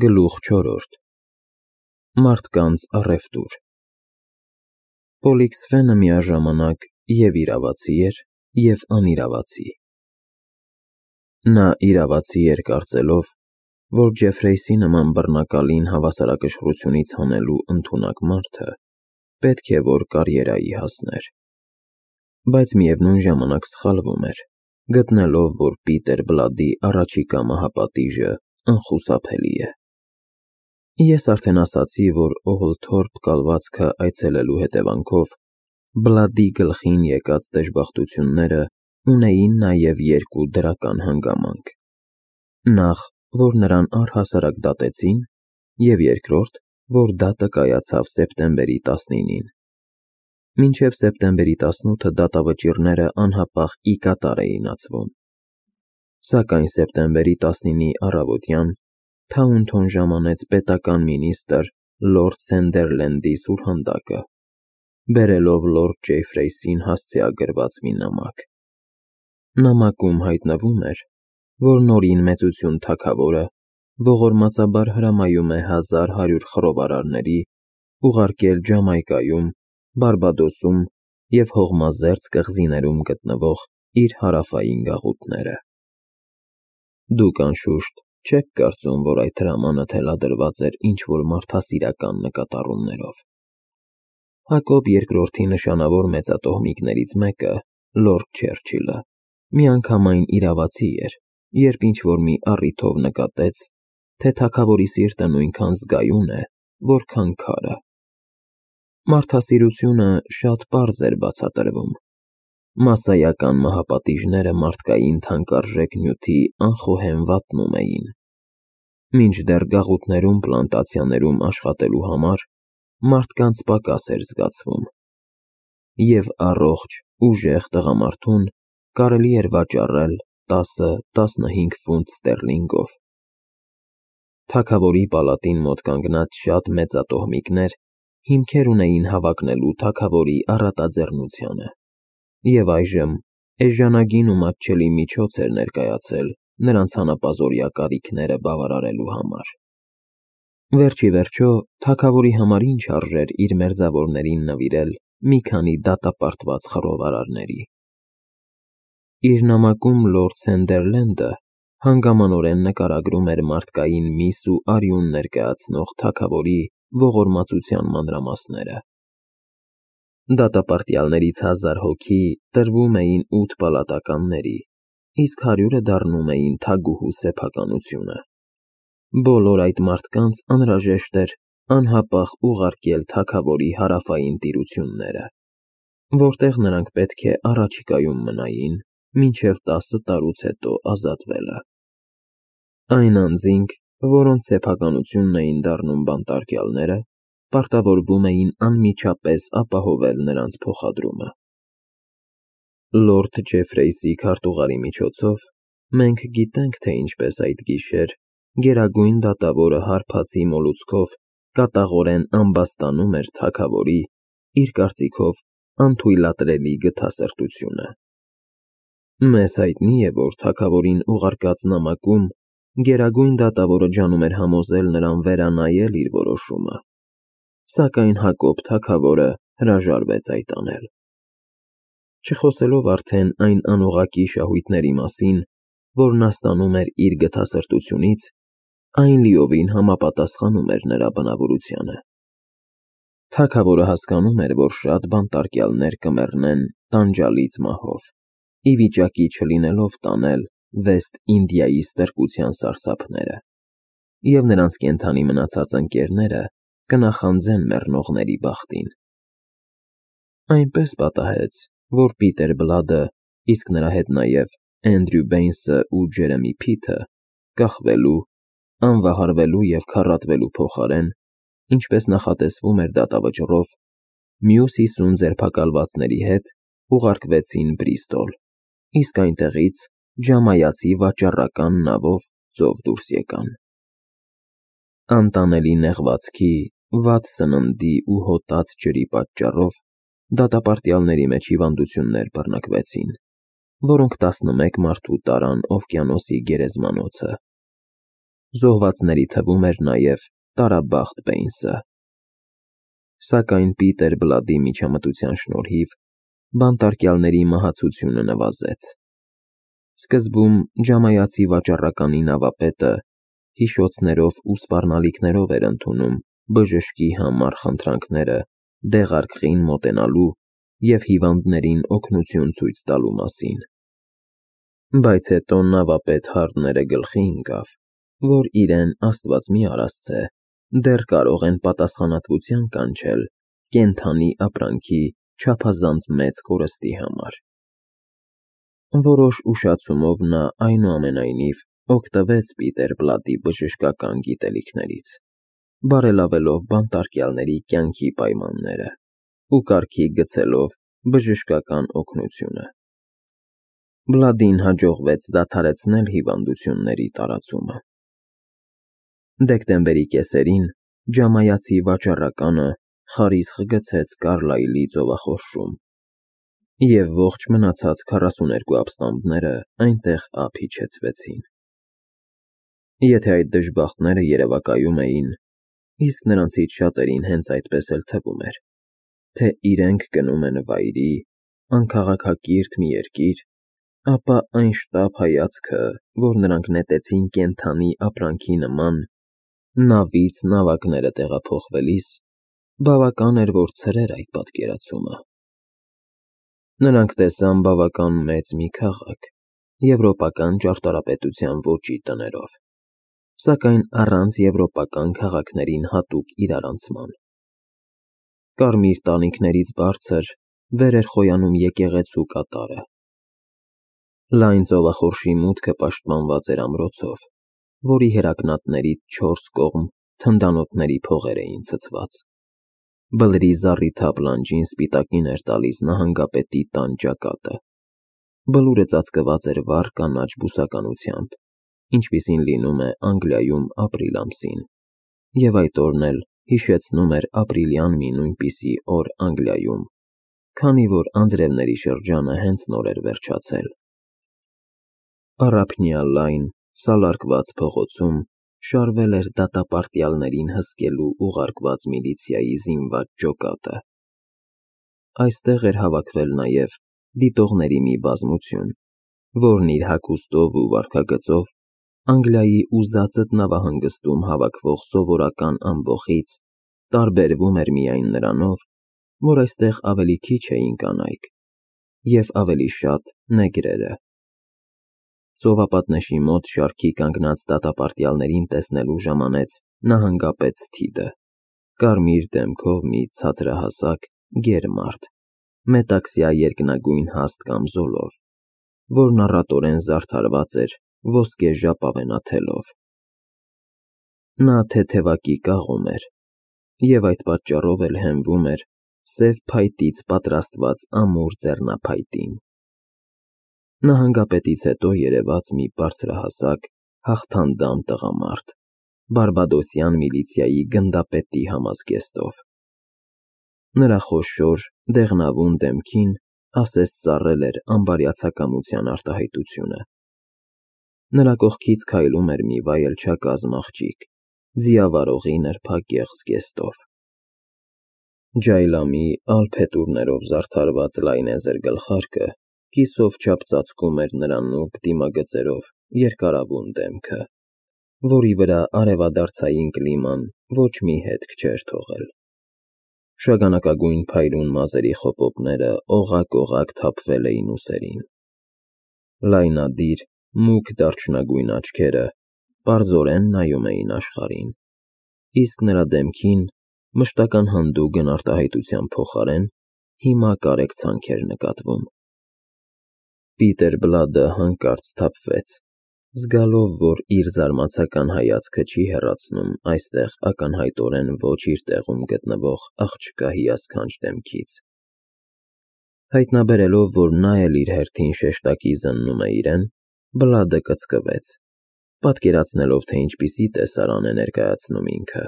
Գլուխ 4. Մարդկանց առևտուր։ Պոլիքսֆենը միաժամանակ և իրավացի էր, և անիրավացի։ Նա իրավացի էր կարծելով, որ Ջեֆրեյսի նման բռնակալին հավասարակշռությունից հանելու ընդունակ մարդը պետք է որ կարիերայի հասներ, բայց միևնույն ժամանակ սխալվում էր, գտնելով, որ Պիտեր Բլադի առաջիկա մահապատիժը անխուսափելի է։ Ես արդեն ասացի, որ Օգլթորփ կալվածքը այցելելու հետևանքով Բլադի գլխին եկած դժբախտությունները ունեին նաև երկու դրական հանգամանք. նախ, որ նրան առհասարակ դատեցին, և երկրորդ, որ դատը կայացավ սեպտեմբերի 19-ին։ Մինչև սեպտեմբերի 18-ը դատավճիռները անհապաղ ի կատար էին ածվում։ Սակայն սեպտեմբերի 19-ի առավոտյան Թաունթոն ժամանեց պետական մինիստրը լորդ Սենդերլենդի սուրհանդակը, բերելով լորդ Ջեֆրեյսին հասցեագրված մի նամակ։ Նամակում հայտնվում էր, որ Նորին Մեծություն թագավորը ողորմածաբար հրամայում է 1100 խռովարարների ուղարկել Ջամայկայում, Բարբադոսում և Հողմազերծ կղզիներում գտնվող իր հարավային գաղութները։ Դուք, անշուշտ, չեք կարծում, որ այդ հրամանը թելադրված էր ինչ-որ մարդասիրական նկատառումներով։ Հակոբ II-ի նշանավոր մեծատոհմիկներից մեկը, լորդ Չերչիլը, միանգամայն իրավացի էր, երբ ինչ-որ մի առիթով նկատեց, թե թագավորի սիրտը նույնքան զգայուն է, որքան քարը։ Մարդասիրությունը շատ պարզ էր բացատրվում։ Մասսայական մահապատիժները մարդկային թանկարժեք նյութի անխոհեմ վատնում էին, մինչդեռ գաղութներում պլանտացիաներում աշխատելու համար մարդկանց պակաս էր զգացվում, և առողջ, ուժեղ տղամարդուն կարելի էր վաճառել 10-15 ֆունտ ստերլինգով։ Թագավորի պալատին մոտ կանգնած շատ մեծատոհմիկներ հիմքեր ունեին հավակնելու թագավորի առատաձեռնությանը, և այժմ էժանագին ու մատչելի միջոց էր ներկայացել նրանց հանապազօրյա կարիքները բավարարելու համար։ Վերջ ի վերջո, թագավորի համար ինչ արժեր իր մերձավորներին նվիրել մի քանի դատապարտված խռովարարների։ Իր նամակում լորդ Սենդերլենդը հանգամանորեն նկարագրում էր մարդկային միս ու արյուն ներկայացնող թագավորի ողորմածության մանրամասները։ Դատապարտյալներից 1000 հոգի տրվում էին 8 պալատականների, իսկ 100-ը դառնում էին թագուհու սեփականությունը։ Բոլոր այդ մարդկանց անհրաժեշտ էր անհապաղ ուղարկել թագավորի հարավային տիրությունները, որտեղ նրանք պետք է առաջիկայում մնային մինչև 10 տարուց հետո ազատվելը։ Այն անձինք, որոնց սեփականությունն էին դառնում բանտարկյալները, պարտավորվում էին անմիջապես ապահովել նրանց փոխադրումը։ Լորդ Ջեֆրեյսի քարտուղարի միջոցով մենք գիտենք, թե ինչպես այդ գիշեր գերագույն դատավորը հարբածի մոլուցքով կատաղորեն ամբաստանում էր թագավորի, իր կարծիքով, անթույլատրելի գթասրտությունը։ Մեզ հայտնի է, որ թագավորին ուղարկած նամակում գերագույն դատավորը ջանում էր համոզել նրան վերանայել իր որոշումը, սակայն Հակոբ թագավորը հրաժարվեց այդ անել։ Չխոսելով արդեն այն անուղղակի շահույթների մասին, որ նա ստանում էր իր գթասրտությունից, այն լիովին համապատասխանում էր նրա բնավորությանը։ Թագավորը հասկանում էր, որ շատ բանտարկյալներ կմեռնեն տանջալից մահով, ի վիճակի չլինելով տանել Վեստ Ինդիայի ստրկության սարսափները, և նրանց կենդանի մնացած ընկերները կնախանձեն մեռնողների բախտին։ Այնպես պատահեց, որ Պիտեր Բլադը, իսկ նրա հետ նաև Էնդրյու Բեյնսը ու Ջերեմի Փիթը, կախվելու, անվահարվելու և քառատվելու փոխարեն, ինչպես նախատեսվում էր դատավճռով, մյուս 50 ձերբակալվածների հետ ուղարկվեցին Բրիստոլ, իսկ այնտեղից ջամայացի վաճառական նավով ծով դուրս եկան։ Անտանելի նեղվածքի, վատ սննդի ու հոտած ջրի պատճառով դատապարտյալների մեջ հիվանդություններ բռնկվեցին, որոնք 11 մարդու տարան օվկիանոսի գերեզմանոցը։ Զոհվածների թվում էր նաև Տարաբախտ Բեյնսը։ Սակայն Պիտեր Բլադի միջամտության շնորհիվ բանտարկյալների մահացությունը նվազեց։ Սկզբում ջամայացի վաճառականի նավապետը հիշոցներով ու սպառնալիքներով էր ընդունում բժշկի համար խնդրանքները դեղարկղին մոտենալու և հիվանդներին օգնություն ցույց տալու մասին։ Բայց հետո նավապետ Հարդները գլխի ընկավ, որ իրեն Աստված մի արասցե, դեռ կարող են պատասխանատվության կանչել կենդանի ապրանքի չափազանց մեծ կորստի համար։ Որոշ ուշացումով նա այնուամենայնիվ օգտվեց Պիտեր Բլադի բժշկական գիտելիքներից, բարելավելով բանտարկյալների կյանքի պայմանները ու կարգի գցելով բժշկական օգնությունը։ Բլադին հաջողվեց դադարեցնել հիվանդությունների տարածումը։ Դեկտեմբերի կեսերին ջամայացի վաճառականը խարիսխ գցեց Կարլայլի ծովախորշում, և ողջ մնացած 42 ապստամբները այնտեղ ափ իջեցվեցին։ Եթե այդ դժբախտները երևակայում էին, իսկ նրանցից շատերին հենց այդպես էլ թվում էր, թե իրենք գնում են վայրի, անքաղաքակիրթ մի երկիր, ապա այն շտապ հայացքը, որ նրանք նետեցին կենդանի ապրանքի նման, նավից նավակները տեղափոխվելիս, բավական էր, որ ցրեր այդ պատկերացումը։ Նրանք տեսան բավական մեծ մի քաղաք, եվրոպական ճարտարապետության ոճի տներով, սակայն առանց եվրոպական քաղաքներին հատուկ իրարանցման։ Կարմիր տանիքներից բարձր վեր էր խոյանում եկեղեցու կատարը։ Լայն ծովախորշի մուտքը պաշտպանված էր ամրոցով, որի հերակնատներից 4 կողմ թնդանոթների փողեր էին ցցված։ Բլրի զառիթափ լանջին սպիտակին էր տալիս նահանգապետի տան ճակատը։ Բլուրը ծածկված էր վառ կանաչ բուսականությամբ, ինչպիսին լինում է Անգլիայում ապրիլ ամսին, և այդ օրն էլ հիշեցնում էր ապրիլյան մի նույնպիսի օր Անգլիայում, քանի որ անձրևների շրջանը հենց նոր էր վերջացել։ Առափնյա լայն, սալարկված փողոցում շարվել էր դատապարտյալներին հսկելու ուղարկված միլիցիայի զինված ջոկատը։ Այստեղ էր հավաքվել նաև դիտողների մի բազմություն, որն իր հագուստով ու վարքագծով Անգլիայի ուզածդ նավահանգստում հավաքվող սովորական ամբոխից տարբերվում էր միայն նրանով, որ այստեղ ավելի քիչ էին կանայք և ավելի շատ նեգրերը։ Ծովապատնեշի մոտ շարքի կանգնած դատապարտյալներին տեսնելու ժամանեց նահանգապետ Սթիդը, կարմիր դեմքով մի ցածրահասակ, գեր մարդ, մետաքսյա երկնագույն հաստ կամզոլով, որն առատորեն զարդարված էր ոսկե ժապավենաթելով։ Նա թեթևակի կաղում էր, և այդ պատճառով էլ հենվում էր սև փայտից պատրաստված ամուր ձեռնափայտին։ Նահանգապետից հետո երևաց մի բարձրահասակ, հաղթանդամ տղամարդ, բարբադոսյան միլիցիայի գնդապետի համազգեստով։ Նրա խոշոր, դեղնավուն դեմքին ասես ծառել էր անբարյացակամության արտահայտությունը։ Նրա կողքից քայլում էր մի վայելչակազմ աղջիկ, ձիավարողի նրբագեղ զգեստով։ Ջայլամի ալ փետուրներով զարդարված լայնեզր գլխարկը կիսով չափ ծածկում էր նրա նուրբ դիմագծերով երկարավուն դեմքը, որի վրա արևադարձային կլիման ոչ մի հետք չէր թողել։ Շագանակագույն փայլուն մազերի խոպոպները օղակ-օղակ թափվել էին ուսերին։ Լայնադիր, մուգ դարչնագույն աչքերը պարզորեն նայում էին աշխարհին, իսկ նրա դեմքին մշտական հանդուգն արտահայտության փոխարեն հիմա կարեկցանք էր նկատվում։ Պիտեր Բլադը հանկարծ սթափվեց, զգալով, որ իր զարմացական հայացքը չի հեռացնում այստեղ ակնհայտորեն ոչ իր տեղում գտնվող աղջկա հիասքանչ դեմքից։ Հայտնաբերելով, որ նա էլ իր հերթին շեշտակի զննում է իրեն, Բլադը կծկվեց, պատկերացնելով, թե ինչպիսի տեսարան է ներկայացնում ինքը։